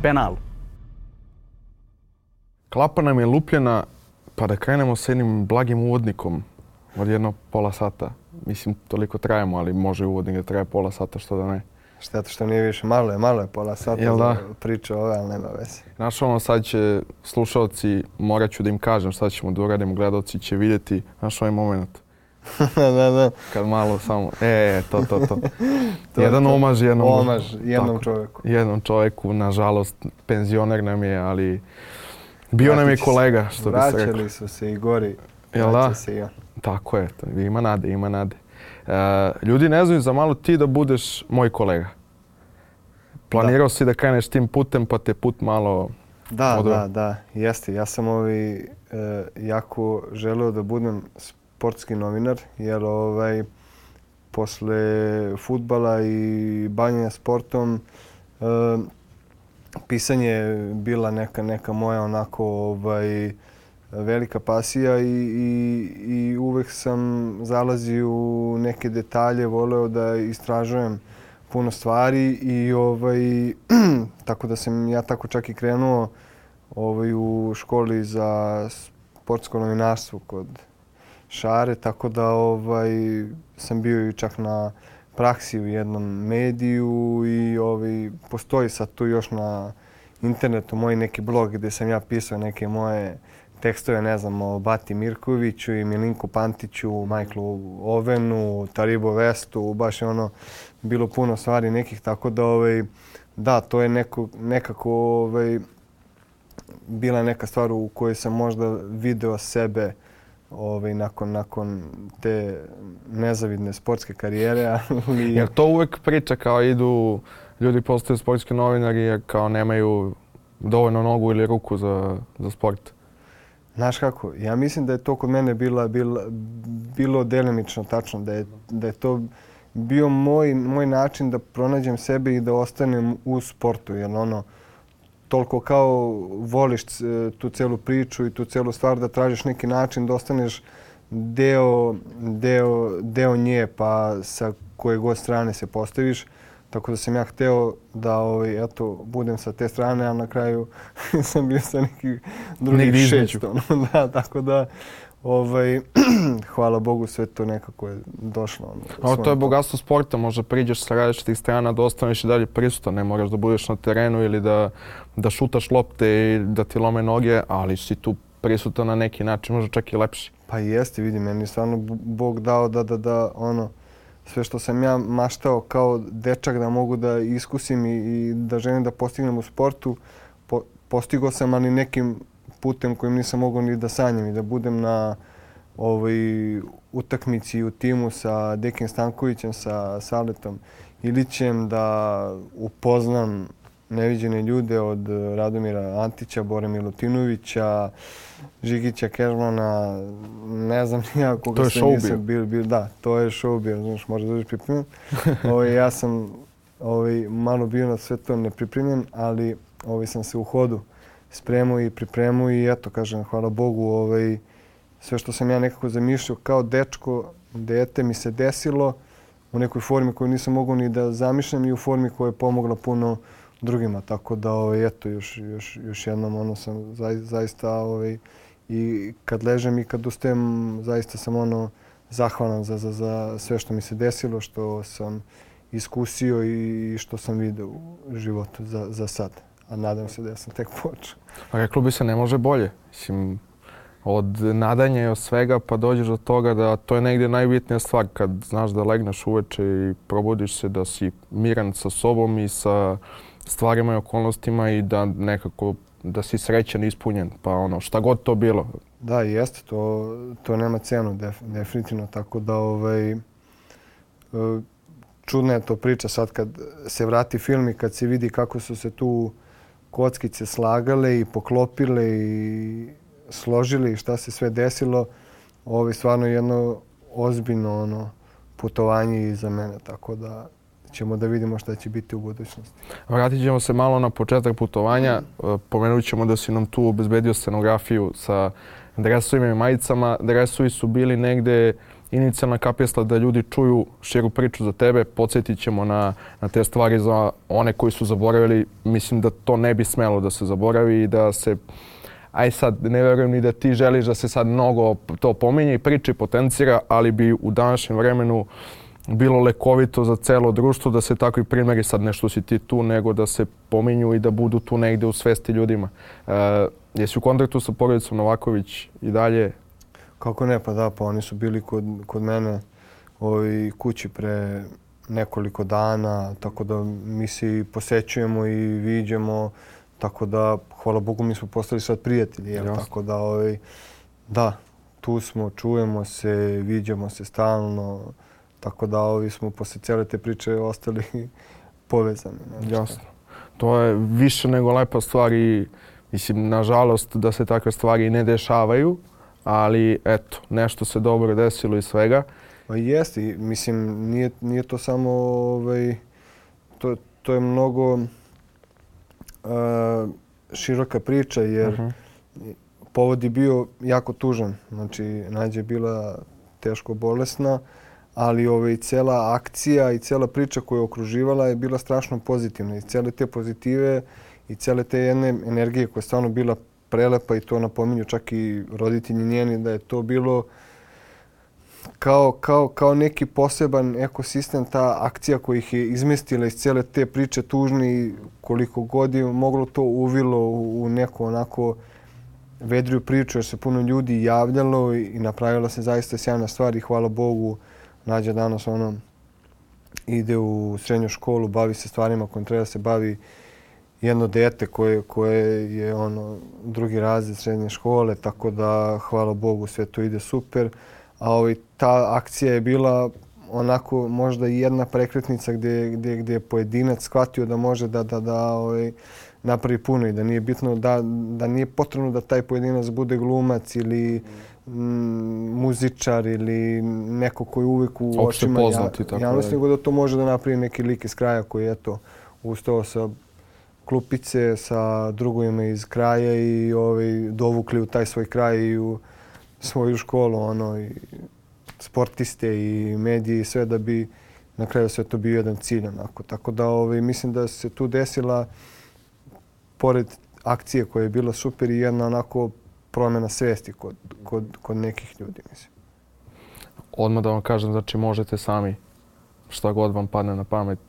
penal. Klapa nam je lupljena, pa da krenemo s jednim blagim uvodnikom od jedno pola sata. Mislim, toliko trajemo, ali može uvodnik da traje pola sata, što da ne. Šteta što nije više, malo je pola sata za priču ove, ali nema veze. Znaš ono, sad će slušalci, morat ću da im kažem šta ćemo da uradimo, gledalci će vidjeti, znaš ovaj moment. Da. Kad malo samo, to. Jedan omaž jednom čovjeku. Jednom čovjeku, nažalost, penzioner nam je, ali bio nam je kolega, što bi se rekao. Vraćali su se i gori, vraća se i on. Tako je, ima nade. Ljudi ne znaju za malo ti da budeš moj kolega. Planirao si da kreneš tim putem, pa te put malo... Da, jeste. Ja sam jako želeo da budem sportski novinar, jer posle fudbala i bavljenja sportom pisanje je bila neka moja onako velika pasija i uvek sam zalazio u neke detalje, voleo da istražujem puno stvari i tako da sam ja tako čak i krenuo u školi za sportsko novinarstvo kod Šare, tako da sam bio i čak na praksi u jednom mediju i postoji sad tu još na internetu moj neki blog gdje sam ja pisao neke moje tekstove, ne znam, o Bati Mirkoviću i Milinku Pantiću, Michaelu Ovenu, Taribo Vestu, baš je bilo puno stvari nekih, tako da, to je nekako bila neka stvar u kojoj sam možda video sebe nakon te nezavidne sportske karijere. Jer to uvek priča kao ljudi postaju sportski novinari jer kao nemaju dovoljno nogu ili ruku za sport? Znaš kako, ja mislim da je to kod mene bilo delimično tačno, da je to bio moj način da pronađem sebe i da ostanem u sportu, jer toliko kao voliš tu celu priču i tu celu stvar da tražiš neki način da ostaneš deo nje, pa sa koje god strane se postaviš. Tako da sam ja hteo da budem sa te strane, a na kraju sam bio sa nekih drugih 6. Da, tako da hvala Bogu sve to nekako je došlo. To je bogatstvo sporta, možda priđeš sa različitih strana da ostaneš i dalje prisutan, ne moraš da budeš na terenu ili da šutaš lopte i da ti lome noge, ali si tu prisutan na neki način, možda čak i lepši. Pa jeste, vidi, meni je stvarno Bog dao da sve što sam ja maštao kao dečak da mogu da iskusim i da želim da postignem u sportu, postigao sam, ali nekim putem kojim nisam mogao ni da sanjam i da budem na utakmici u timu sa Dekim Stankovićem, sa Saletom Ilićem, da upoznam neviđene ljude od Radomira Antića, Bore Milutinovića, Žigića Kežmana, ne znam ja koga sve nisam bio. Da, to je show bio, znaš, možda dođeš pripremljen. Ja sam malo bio na sve to nepripremljen, ali sam se u hodu spremao i pripremao i eto, kažem, hvala Bogu, sve što sam ja nekako zamišljao kao dečko, dete mi se desilo u nekoj formi koju nisam mogao ni da zamišljam i u formi koja je pomogla puno drugima. Tako da, eto, još jednom sam zaista i kad ležem i kad ustajem, zaista sam zahvalan za sve što mi se desilo, što sam iskusio i što sam vidio u životu za sad. A nadam se da ja sam tek počeo. Pa reklo bi se ne može bolje. Mislim, od nadanja i od svega pa dođeš do toga da to je negdje najbitnija stvar kad znaš da legneš uveče i probudiš se da si miran sa sobom i sa stvarima i okolnostima i da nekako da si srećan i ispunjen, pa šta god to bilo. Da, jeste, to nema cenu, definitivno, tako da čudna je to priča sad kad se vrati film i kad se vidi kako su se tu kockice slagale i poklopile i složili i šta se sve desilo. Ovo je stvarno jedno ozbiljno putovanje iza mene, tako da ćemo da vidimo šta će biti u budućnosti. Vratit ćemo se malo na početak putovanja. Pomenut ćemo da si nam tu obezbedio scenografiju sa dresovima i majicama. Dresovi su bili negde inicijalna kapesla da ljudi čuju širu priču za tebe. Podsjetit ćemo na te stvari za one koji su zaboravili. Mislim da to ne bi smelo da se zaboravi i da se... Aj sad, ne verujem ni da ti želiš da se sad mnogo to pominje i priče i potencira, ali bi u današnjem vremenu bilo lekovito za celo društvo da se takvi primjeri, sad nešto si ti tu, nego da se pominju i da budu tu negde u svesti ljudima. Jesi u kontaktu sa porodicom Novaković i dalje? Kako ne, pa da, pa oni su bili kod mene kući pre nekoliko dana, tako da mi se i posećujemo i viđemo, tako da, hvala Bogu, mi smo postali sad prijatelji, tako da, da, tu smo, čujemo se, viđamo se stalno, tako da smo posle cijele te priče ostali povezani. Jasno. To je više nego lepa stvar i mislim, nažalost, da se takve stvari ne dešavaju, ali eto, nešto se dobro desilo iz svega. Pa jeste, mislim, nije to samo, to je mnogo široka priča jer povod je bio jako tužan. Znači, Nađa je bila teško bolesna, ali cela akcija i cela priča koju je okruživala je bila strašno pozitivna. I cele te pozitive i cele te jedne energije koja je stvarno bila prelepa i to napominju čak i roditelji njeni da je to bilo kao neki poseban ekosistem, ta akcija koja ih je izmestila iz cele te priče tužne i koliko god je moglo to uvilo u neku onako vedriju priču jer se puno ljudi javljalo i napravila se zaista sjajna stvar i hvala Bogu Nađa danas ide u srednju školu, bavi se stvarima kojim treba se bavi jedno dete koje je drugi razred srednje škole, tako da hvala Bogu sve to ide super. A ta akcija je bila onako možda i jedna prekretnica gdje je pojedinac shvatio da može da napravi puno i da nije bitno, da nije potrebno da taj pojedinac bude glumac ili muzičar ili neko koji uvijek u očima javnosti, nego da to može da napravi neki lik iz kraja koji je ustao sa klupice sa drugovima iz kraja i dovukli u taj svoj kraj i u svoju školu, i sportiste i medije i sve da bi na kraju sve to bio jedan cilj. Tako da mislim da se tu desila, pored akcije koja je bila super, i jedna onako promjena svesti kod nekih ljudi, mislim. Odmah da vam kažem, znači možete sami šta god vam padne na pamet,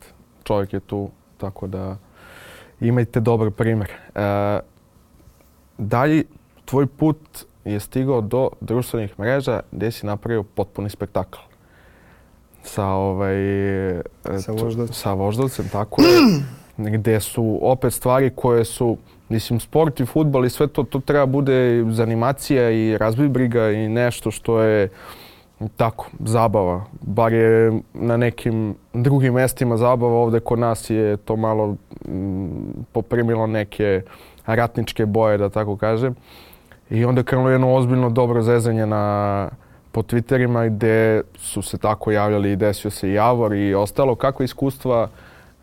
čovjek je tu, tako da imajte dobar primjer. Dalje, tvoj put je stigao do društvenih mreža gdje si napravio potpuni spektakl. Sa Voždovcem, tako je. Gdje su opet stvari koje su, mislim, sport i fudbal i sve to treba bude zanimacija i razbibriga i nešto što je tako, zabava. Bar je na nekim drugim mjestima zabava, ovdje kod nas je to malo poprimilo neke ratničke boje, da tako kažem. I onda je krenulo jedno ozbiljno dobro zezanje po Twitterima gdje su se tako javljali i desio se i Javor i ostalo. Kakve iskustva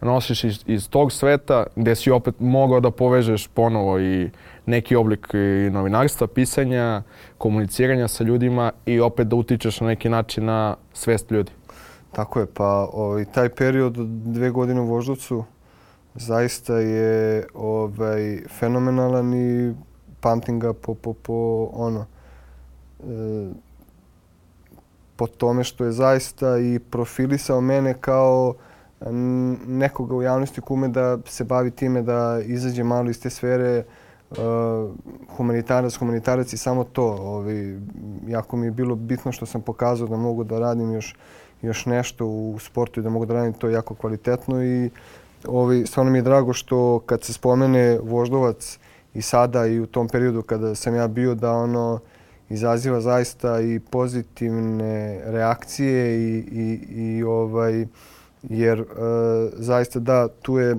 nosiš iz tog sveta gdje si opet mogao da povežeš ponovo i neki oblik i novinarstva, pisanja, komuniciranja sa ljudima i opet da utičeš na neki način na svest ljudi? Tako je, pa taj period od 2 godine u Voždovcu zaista je fenomenalan i pamtim ga po tome što je zaista i profilisao mene kao nekoga u javnosti ko ume da se bavi time, da izađe malo iz te sfere humanitarac i samo to. Jako mi je bilo bitno što sam pokazao da mogu da radim još nešto u sportu i da mogu da radim to jako kvalitetno i stvarno mi je drago što kad se spomene Voždovac i sada i u tom periodu kada sam ja bio da izaziva zaista i pozitivne reakcije jer zaista da, tu je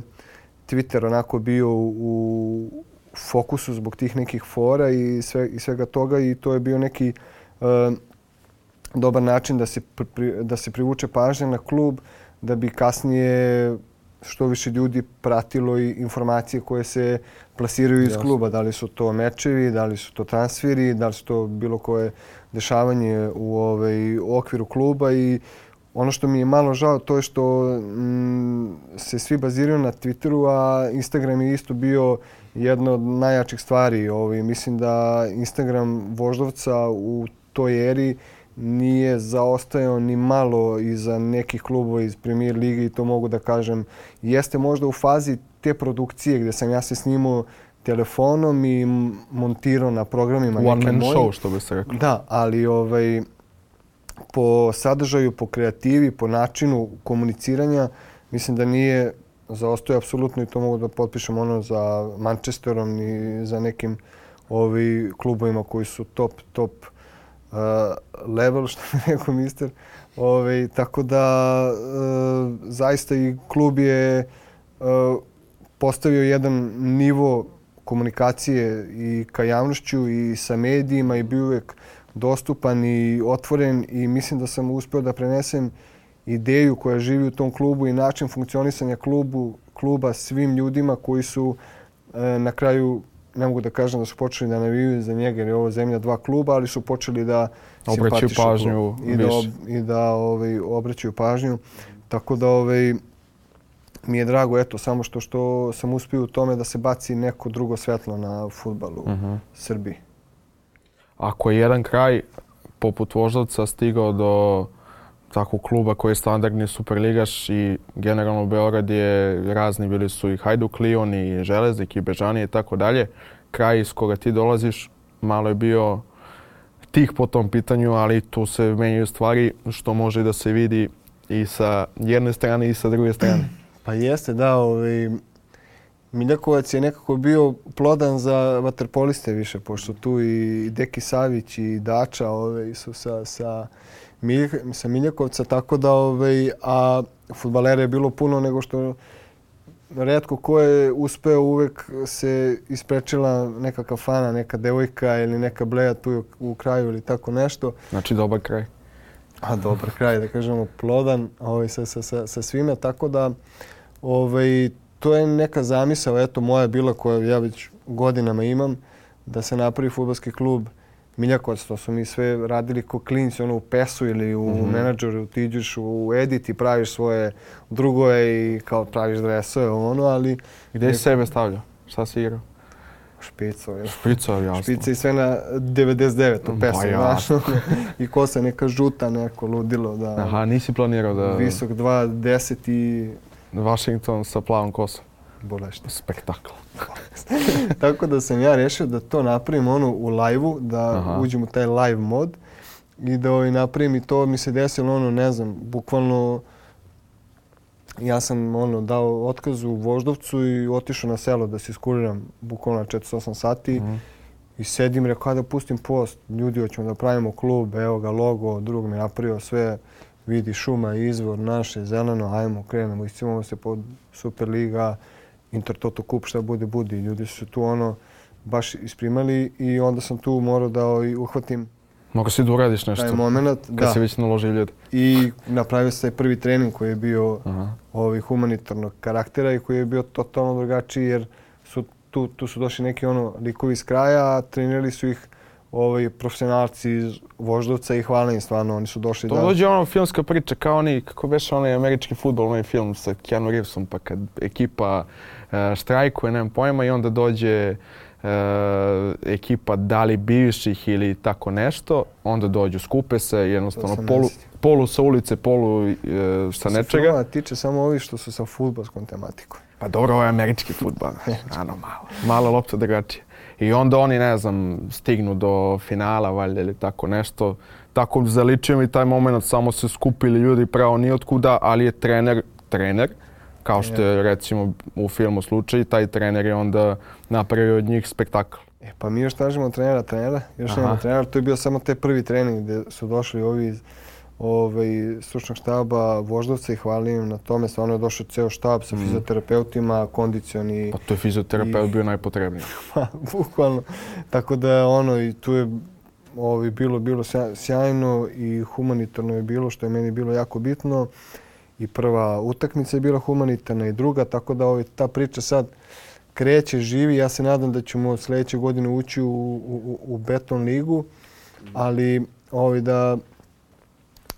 Twitter onako bio u fokusu zbog tih nekih fora i svega toga i to je bio neki dobar način da se privuče pažnja na klub da bi kasnije što više ljudi pratilo i informacije koje se plasiraju iz kluba. Da li su to mečevi, da li su to transferi, da li su to bilo koje dešavanje u okviru kluba. I ono što mi je malo žao to je što se svi baziraju na Twitteru, a Instagram je isto bio jedna od najjačih stvari. Mislim da Instagram Voždovca u toj eri nije zaostajao ni malo iza nekih klubova iz Premier lige i to mogu da kažem. Jeste možda u fazi te produkcije gdje sam ja se snimao telefonom i montirao na programima neke moje. One man show, što bi se rekao. Da, ali po sadržaju, po kreativi, po načinu komuniciranja, mislim da nije zaostao apsolutno i to mogu da potpišem za Manchesterom i za nekim klubovima koji su top level, što bi rekao mister. Tako da zaista i klub je postavio jedan nivo komunikacije i ka javnošću i sa medijima i bio uvijek dostupan i otvoren i mislim da sam uspio da prenesem ideju koja živi u tom klubu i način funkcionisanja kluba svim ljudima koji su na kraju, ne mogu da kažem da su počeli da navijaju za njega jer je ovo zemlja dva kluba, ali su počeli da obraćaju pažnju i da obraćaju pažnju. Tako da mi je drago samo što sam uspio u tome da se baci neko drugo svetlo na fudbal u Srbiji. Ako je jedan kraj poput Voždovca stigao do takvog kluba koji je standardni superligaš i generalno Beograd je razni, bili su i Hajduk, Lion i Železnik i Bežani i tako dalje. Kraj iz koga ti dolaziš malo je bio tih po tom pitanju, ali tu se menjaju stvari što može da se vidi i sa jedne strane i sa druge strane. Pa jeste, da. Miljakovac je nekako bio plodan za vaterpoliste više, pošto tu i Deki Savić i Dača su sa Miljakovca, tako da a fudbalera je bilo puno nego što retko ko je uspeo, uvek se isprečila neka kafana, neka devojka ili neka bleja tu u kraju ili tako nešto. Znači dobar kraj. Dobar kraj, da kažemo plodan sa svime, tako da to je neka zamisao, moja bila koju ja već godinama imam, da se napravi fudbalski klub Miljakovac. To su mi sve radili ko klinci, u PES-u ili u menadžeru, ti iđeš u edit i praviš svoje drugove i kao praviš dresove, ali... Gdje si sebe stavljao? Šta si igrao? Špico, jasno. Špica i sve na 99 u PES-u, znaš. I kosa neka žuta, neko ludilo. Aha, nisi planirao da... Visok 2,10 i... Washington sa plavom kosom. Bolešno. Spektakl. Tako da sam ja rešio da to napravim u live-u, da uđem u taj live mod i da napravim i to mi se desilo, ne znam, bukvalno ja sam dao otkaz u Voždovcu i otišao na selo da se iskuriram bukvalno na 48 sati i sedim, rekao da pustim post, ljudi hoćemo da pravimo klub, evo ga logo, drug mi napravio sve, vidi šuma, izvor, naše, zeleno, ajmo, krenemo, iscimamo se pod Superliga, Intertoto Kup, šta bude. Ljudi su tu baš isprimali i onda sam tu morao da uhvatim Mogu si da uradiš nešto, taj moment, kad si već naložio ljudi. I napravio se taj prvi trening koji je bio humanitarnog karaktera i koji je bio totalno drugačiji jer tu su došli neki likovi iz kraja, a trenirali su ih profesionalci iz Voždovca i hvala im stvarno, oni su došli to dođe filmska priča kao kako beše onaj američki fudbal, onaj film sa Keanu Reevesom, pa kad ekipa štrajkuje, nemam pojma, i onda dođe ekipa da li bivših ili tako nešto, onda dođu, skupe se, jednostavno polu sa ulice, polu sa nečega. Filma tiče samo ovi što su sa fudbalskom tematikom. Pa dobro, ovo je američki fudbal, malo lopta drugačije. I onda oni, ne znam, stignu do finala, valjda, ili tako nešto. Tako zaličio mi taj moment, samo se skupili ljudi pravo nijotkuda, ali je trener, kao što je recimo u filmu slučaj, taj trener je onda napravio od njih spektakl. Pa mi još tražimo trenera, još nemamo trenera. To je bio samo te prvi trening gdje su došli ovi iz stručnog štaba Voždovca i hvala im na tome. Stvarno je došao ceo štab sa fizioterapeutima, kondicioni. Pa to je fizioterapeut bio najpotrebniji. Pa, bukvalno. Tako da i tu je bilo sjajno i humanitarno je bilo, što je meni bilo jako bitno. i prva utakmica je bila humanitarna i druga, tako da ta priča sad kreće, živi. Ja se nadam da ćemo sljedeće godine ući u Beton ligu, ali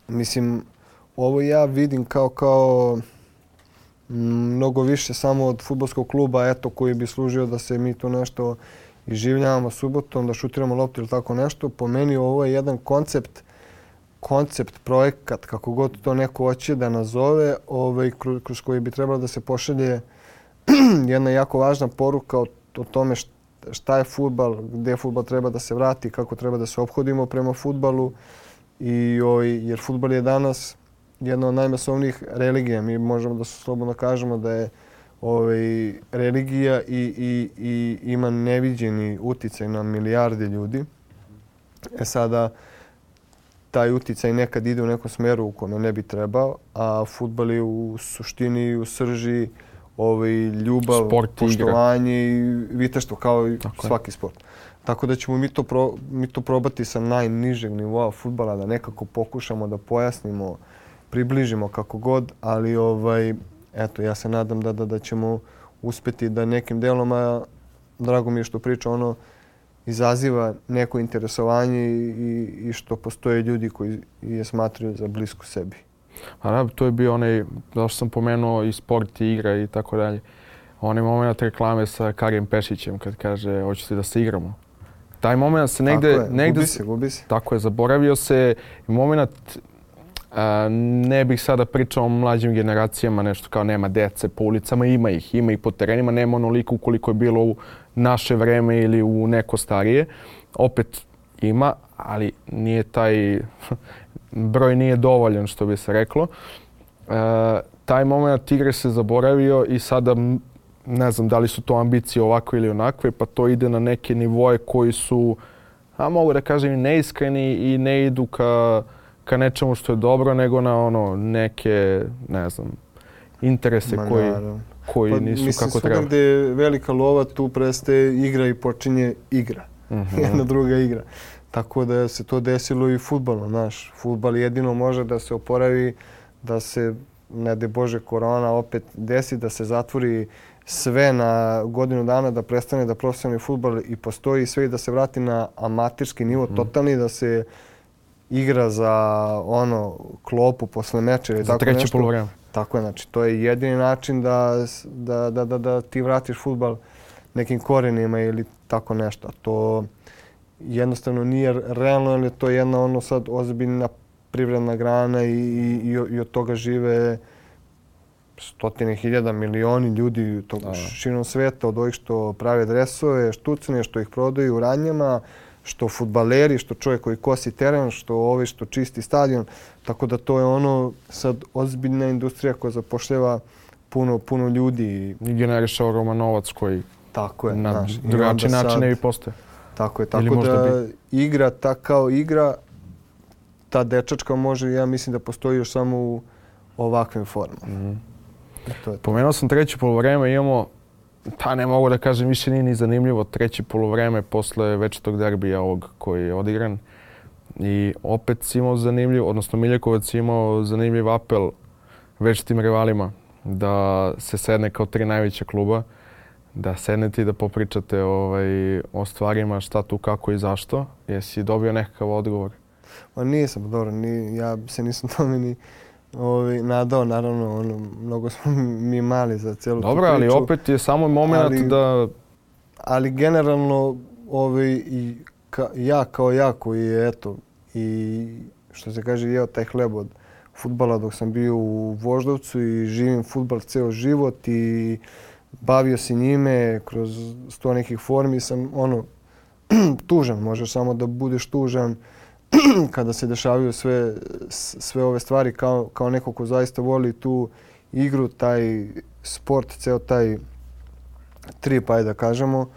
mislim, ovo ja vidim kao mnogo više samo od fudbalskog kluba, koji bi služio da se mi to nešto iživljavamo subotom, da šutiramo loptu ili tako nešto. Po meni ovo je jedan koncept, projekat, kako god to neko hoće da nazove, kroz koji bi trebalo da se pošalje jedna jako važna poruka o tome šta je fudbal, gdje fudbal treba da se vrati, kako treba da se ophodimo prema fudbalu. Jer fudbal je danas jedna od najmasovnijih religija. Mi možemo da slobodno kažemo da je religija i ima neviđeni uticaj na milijarde ljudi. Sada, taj uticaj nekad ide u nekom smeru u kome ne bi trebao, a fudbal je u suštini, u srži ljubav, sport, poštovanje i viteštvo kao i svaki sport. Tako da ćemo mi to probati sa najnižeg nivoa fudbala, da nekako pokušamo da pojasnimo, približimo kako god, ali ja se nadam da ćemo uspjeti da nekim deloma, drago mi je što priča izaziva neko interesovanje i što postoje ljudi koji je smatraju za blisku sebi. To je bio onaj, zašto sam pomenuo i sport i igra i tako dalje. Onaj moment reklame sa Karijem Pešićem kad kaže hoćete da se igramo. Taj moment se negde... Gubi se. Tako je, zaboravio se moment. Ne bih sada pričao o mlađim generacijama, nešto kao nema dece po ulicama, ima ih po terenima, nema onoliko koliko je bilo u naše vreme ili u neko starije. Opet ima, ali nije taj broj nije dovoljan, što bi se reklo. Taj moment igre se zaboravio i sada ne znam da li su to ambicije ovakve ili onakve, pa to ide na neke nivoje koji su, mogu da kažem, neiskreni i ne idu ka nečemu što je dobro, nego na neke, ne znam, interese koji nisu kako treba. Mislim, gdje je velika lova, tu prestaje igra i počinje igra. Jedna druga igra. Tako da se to desilo i fudbalom. Fudbal jedino može da se oporavi, da se, ne daj Bože, korona opet desi, da se zatvori sve na godinu dana, da prestane da profesionalni fudbal i postoji sve i da se vrati na amaterski nivo, totalni, da se igra za klopu posle meča ili tako nešto. Za treće poluvreme. Tako je, znači to je jedini način da ti vratiš fudbal nekim korenima ili tako nešto. To jednostavno nije realno, jer je to jedna sad ozbiljna privredna grana i od toga žive stotine hiljada, milioni ljudi širom sveta, od ovih što prave dresove, štucne, što ih prodaju u ranjama, što fudbaleri, što čovjek koji kosi teren, što ovi što čisti stadion. Tako da to je sad ozbiljna industrija koja zapošljava puno ljudi. I generiše ogroman novac koji na drugačiji način ne bi postoje. Tako je, tako da igra kao igra, ta dečačka može, ja mislim da postoji još samo u ovakvim formama. Pomenuo sam treće poluvreme, imamo, ne mogu da kažem, više nije ni zanimljivo treće poluvreme posle večitog derbija ovog koji je odigran. I opet si imao zanimljiv, odnosno Miljakovac je imao zanimljiv apel večitim rivalima da se sedne kao tri najveća kluba, da sednete i da popričate o stvarima, šta tu, kako i zašto. Jesi dobio nekakav odgovor? Nisam, dobro, ja se nisam tome ni nadao, naravno, mnogo smo mi mali za cijelu tu priču. Dobro, ali opet je samo moment da... Ali generalno, ja kao ja koji je, i što se kaže, jeo taj hleb od fudbala dok sam bio u Voždovcu i živim fudbal ceo život i bavio se njime kroz 100 nekih formi, sam tužan, možeš samo da budeš tužan kada se dešavaju sve ove stvari kao neko ko zaista voli tu igru, taj sport, ceo taj trip, ajde da kažemo,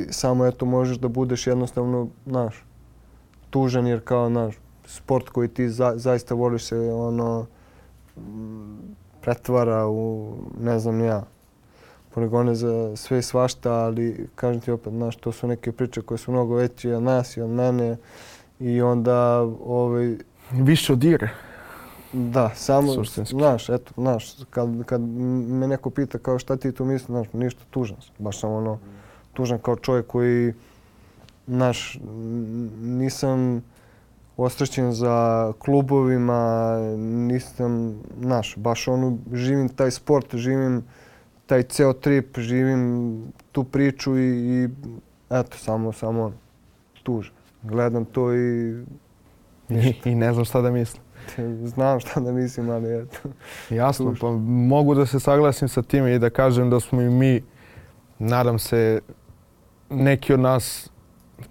samo možeš da budeš jednostavno, tužan jer kao, sport koji ti zaista voliš se pretvara u, ne znam ja, poligone za sve i svašta, ali kažem ti opet, to su neke priče koje su mnogo veće od nas i od mene i onda... Više od igre. Da, samo, suštinski. znaš, kad me neko pita kao šta ti tu misliš, znaš, ništa, tužan sam. Baš sam ono, tužan kao čovjek koji, znaš, nisam ostrašćen za klubovima, nisam, znaš, baš ono, živim taj sport, živim taj ceo trip, živim tu priču i eto, samo tužan. Gledam to i I ne znam šta da mislim. znam šta da mislim, ali eto. Jasno, pa mogu da se saglasim sa time i da kažem da smo i mi, nadam se, neki od nas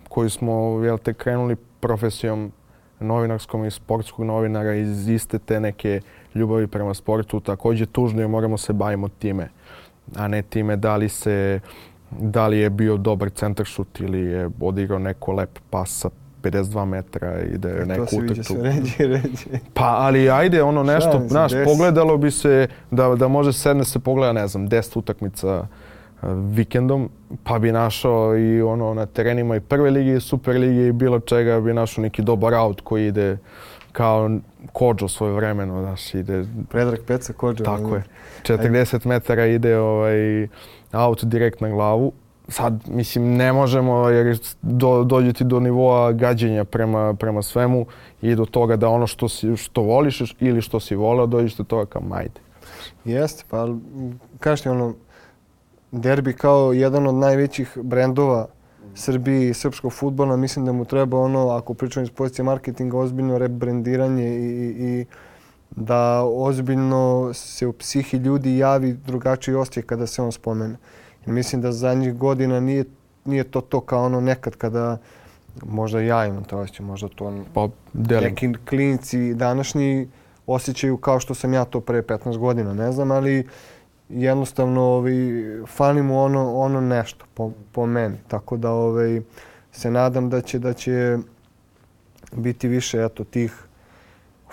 koji smo krenuli profesijom novinarskom i sportskog novinara iz iste te neke ljubavi prema sportu, također tužno je moramo se bavimo time, a ne time da li je bio dobar centaršut ili je odigrao neko lep pas sa 52 metra i da je neku utrku. To se viđe sve ređe. Pa, ali ajde, ono nešto, znaš, pogledalo bi se da može sedne se pogleda, ne znam, 10 utakmica vikendom, pa bi našao i ono na terenima i prve lige i super lige i bilo čega bi našao neki dobar aut koji ide kao Kodžo svojevremeno, znaš, ide... Predrag Peca Kodžo. Tako je. 40 metara ide aut direkt na glavu. Sad, mislim, ne možemo jer dođeti do nivoa gađenja prema svemu i do toga da ono što voliš ili što si voleo, dođeš do toga kao majde. Jeste, pa kažeš ti ono, derbi kao jedan od najvećih brendova Srbije i srpskog fudbala, mislim da mu treba ono, ako pričamo iz pozicije marketinga, ozbiljno rebrendiranje i da ozbiljno se u psihi ljudi javi drugačiji osjećaj kada se on spomene. Mislim da zadnjih godina nije to kao ono nekad kada možda ja imam to osjećaj, možda to neki klinci današnji osjećaju kao što sam ja to pre 15 godina, ne znam, ali jednostavno fali mu ono nešto po meni. Tako da se nadam da će biti više eto tih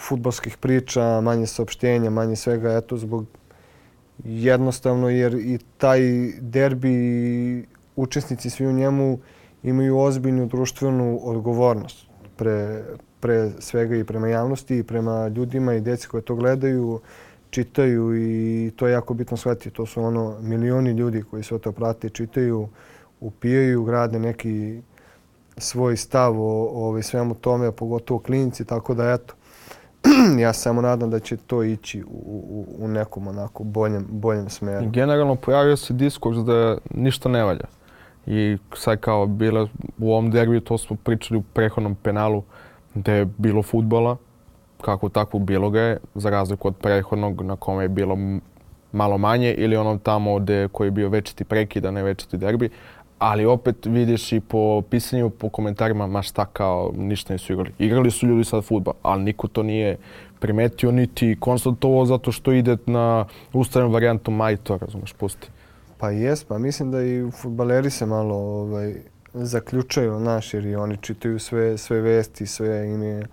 fudbalskih priča, manje saopštenja, manje svega eto zbog jednostavno jer i taj derbi učesnici svi u njemu imaju ozbiljnu društvenu odgovornost pre svega i prema javnosti i prema ljudima i djeci koje to gledaju, čitaju i to je jako bitno shvatiti. To su ono milioni ljudi koji sve to prate, čitaju, upijaju, grade neki svoj stav o svemu tome, pogotovo klinci, tako da eto. Ja samo nadam da će to ići u nekom onako boljem smeru. Generalno pojavio se diskurs da ništa ne valja. I sad kao bilo u ovom derbiju, to smo pričali u prethodnom penalu, da je bilo fudbala, kako tako bilo ga je, za razliku od prethodnog na kome je bilo malo manje ili onom tamo koji je bio večiti prekid, a ne večiti derbi. Ali opet vidiš i po pisanju, po komentarima, ma šta kao, ništa nisu igrali. Igrali su ljudi sad fudbal, ali niko to nije primetio, niti konstatovao zato što ide na ustavljenu varijantu maj to, razumeš, pusti. Pa jes, pa mislim da i fudbaleri se malo zaključaju, znaš, jer i oni čitaju sve vesti, sve im je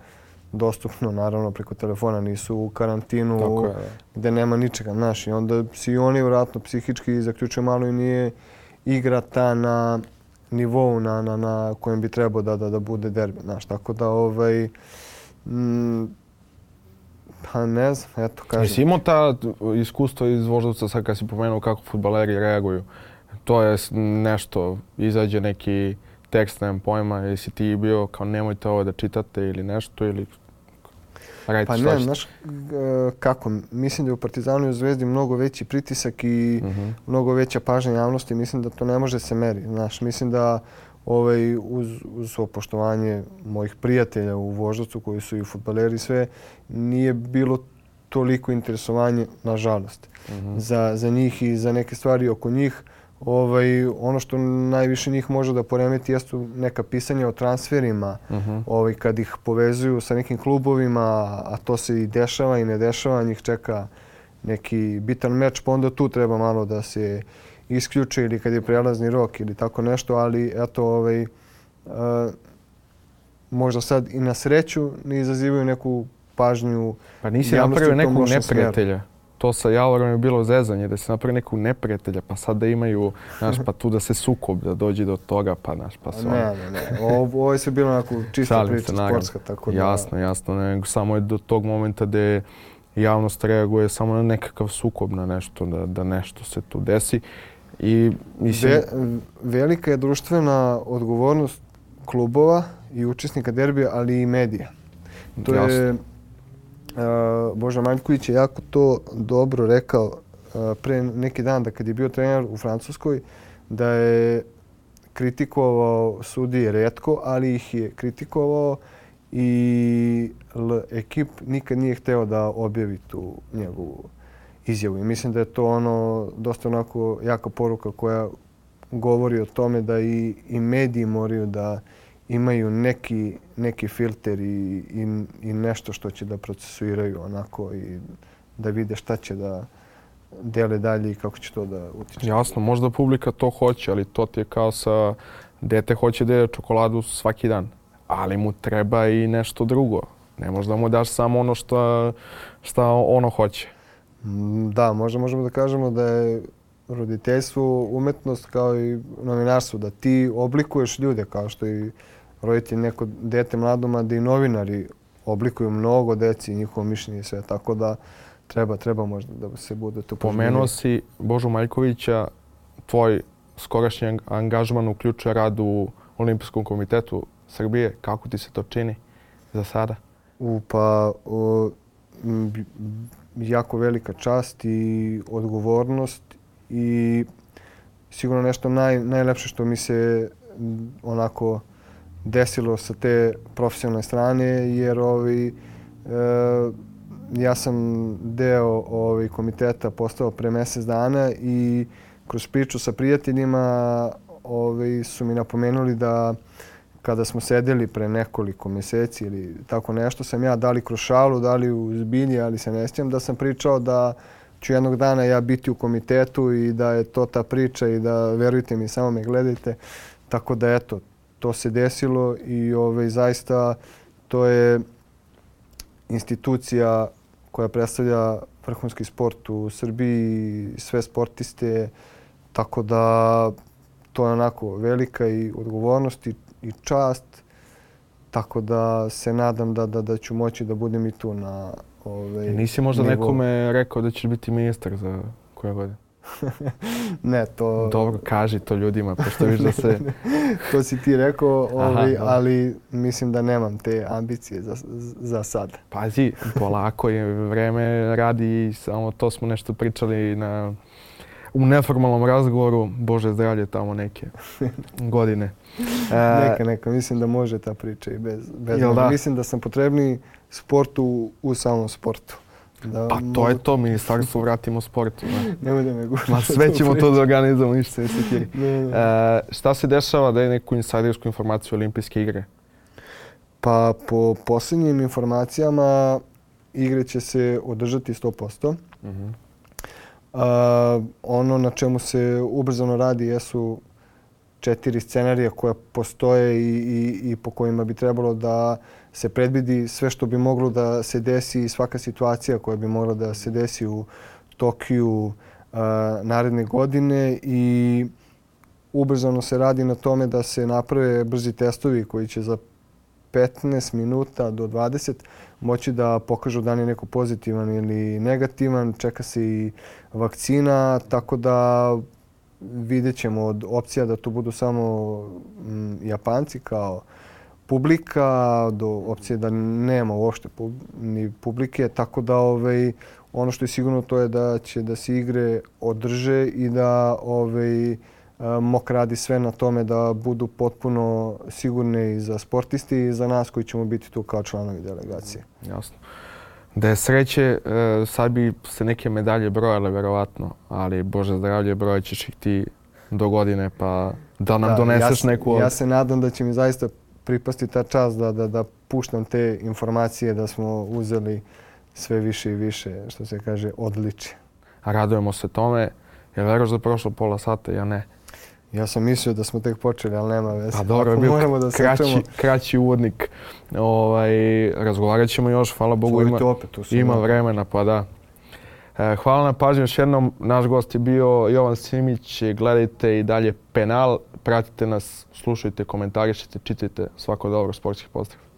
dostupno, naravno, preko telefona, nisu u karantinu gdje nema ničega, znaš, i onda si oni vjerojatno psihički zaključuju malo i nije igra ta na nivou na kojem bi trebao da bude derbi, znaš, tako da pa ne znam, eto kažem. Jesi imao ta iskustva iz Voždovca sad kad si pomenuo kako fudbaleri reaguju? To je nešto, izađe neki tekst, nemam pojma, jesi ti bio kao nemojte ovo da čitate ili nešto ili pa ne, znaš kako, mislim da je u Partizanu i u Zvezdi mnogo veći pritisak i mnogo veća pažnja javnosti, mislim da to ne može se meri, znaš, mislim da uz poštovanje mojih prijatelja u Voždovcu koji su i fudbaleri sve, nije bilo toliko interesovanje, nažalost, za njih i za neke stvari oko njih. Ono što najviše njih može da poremeti jesu neka pisanja o transferima, kad ih povezuju sa nekim klubovima, a to se i dešava i ne dešava, njih čeka neki bitan meč, pa onda tu treba malo da se isključe ili kad je prelazni rok ili tako nešto, ali eto, možda sad i na sreću ne izazivaju neku pažnju. Pa nisi napravio nekog neprijatelja to sa Javorom je bilo zezanje, da se napravi nekog neprijatelja, pa sad da imaju, znaš, pa tu da se sukob, da dođe do toga, pa znaš, pa se Ne. Ovo je sve bilo onako čista priča sportska, tako da... Jasno, nego samo je do tog momenta gdje javnost reaguje samo na nekakav sukob, na nešto, da nešto se tu desi. I mislim... Velika je društvena odgovornost klubova i učesnika derbija, ali i medija. To je Boža Maljković je jako to dobro rekao pre neki dan, da kad je bio trener u Francuskoj, da je kritikovao sudije retko, ali ih je kritikovao i ekip nikad nije hteo da objavi tu njegovu izjavu. I mislim da je to dosta onako jaka poruka koja govori o tome da i mediji moraju da imaju neki filter i nešto što će da procesuiraju onako i da vide šta će da dele dalje i kako će to da utiče. Jasno, možda publika to hoće, ali to ti je kao sa dete hoće da jede čokoladu svaki dan, ali mu treba i nešto drugo. Ne možda mu daš samo ono šta ono hoće. Da, možda možemo da kažemo da je roditeljstvo umetnost kao i novinarstvo, da ti oblikuješ ljude kao što i roditelj neko dete mladoma, da i novinari oblikuju mnogo deci i njihovo mišljenje i sve, tako da treba možda da se bude tu poželjeni. Pomenuo si Božu Maljkovića, tvoj skorašnji angažman uključuje rad u Olimpijskom komitetu Srbije. Kako ti se to čini za sada? Jako velika čast i odgovornost i sigurno nešto najlepše što mi se onako desilo sa te profesionalne strane, jer ja sam deo komiteta postao pre mjesec dana i kroz priču sa prijateljima su mi napomenuli da kada smo sedeli pre nekoliko mjeseci ili tako nešto, sam ja da li kroz šalu, da li u zbilji, ali se ne sjećam, da sam pričao da ću jednog dana ja biti u komitetu i da je to ta priča i da, verujte mi, samo me gledajte. Tako da eto, to se desilo i zaista to je institucija koja predstavlja vrhunski sport u Srbiji, sve sportiste, tako da to je onako velika i odgovornost i čast, tako da se nadam da ću moći da budem i tu na Nisi možda nekome rekao da ćeš biti ministar za koje godine? Ne, to... Dobro, kaži to ljudima, pošto viš da se... To si ti rekao, ali mislim da nemam te ambicije za sad. Pazi, polako je, vreme radi i samo to smo nešto pričali u neformalnom razgovoru. Bože zdravlje, tamo neke godine. Neka, mislim da može ta priča i bez da? Mislim da sam potrebniji sportu u samom sportu. Pa to je to, ministarstvo vratimo sportu. Nemoj da me guraš. Sve ćemo to da organizamo, ništa se ne sekiri. Šta se dešava da je neku insajdersku informaciju Olimpijske igre? Pa po posljednjim informacijama igre će se održati 100%. Ono na čemu se ubrzano radi jesu 4 scenarija koja postoje i po kojima bi trebalo da se predvidi sve što bi moglo da se desi i svaka situacija koja bi mogla da se desi u Tokiju naredne godine i ubrzano se radi na tome da se naprave brzi testovi koji će za 15 minuta do 20 moći da pokažu da li je neko pozitivan ili negativan. Čeka se i vakcina, tako da vidjet ćemo od opcija da to budu samo Japanci kao publika, do opcije da nema uopšte ni publike, tako da ono što je sigurno to je da će da se igre održe i da MOK radi sve na tome da budu potpuno sigurne i za sportiste i za nas koji ćemo biti tu kao članovi delegacije. Jasno. Da je sreće, sad bi se neke medalje brojale verovatno, ali Bože zdravlje, brojat ćeš ih ti do godine, pa da nam doneseš neku... Ja se nadam da će mi zaista pripasti ta čast da puštam te informacije da smo uzeli sve više i više, što se kaže, odličje. A radujemo se tome. Jel veruješ da je prošlo pola sata? Ja ne. Ja sam mislio da smo tek počeli, ali nema veze. Pa dobro, je bio kraći uvodnik. Razgovarat ćemo još, hvala Bogu, ima vremena, pa da. Hvala na pažnju još jednom. Naš gost je bio Jovan Simić. Gledajte i dalje Penal. Pratite nas, slušajte, komentarišite, čitajte. Svako dobro, Sportski pozdrav.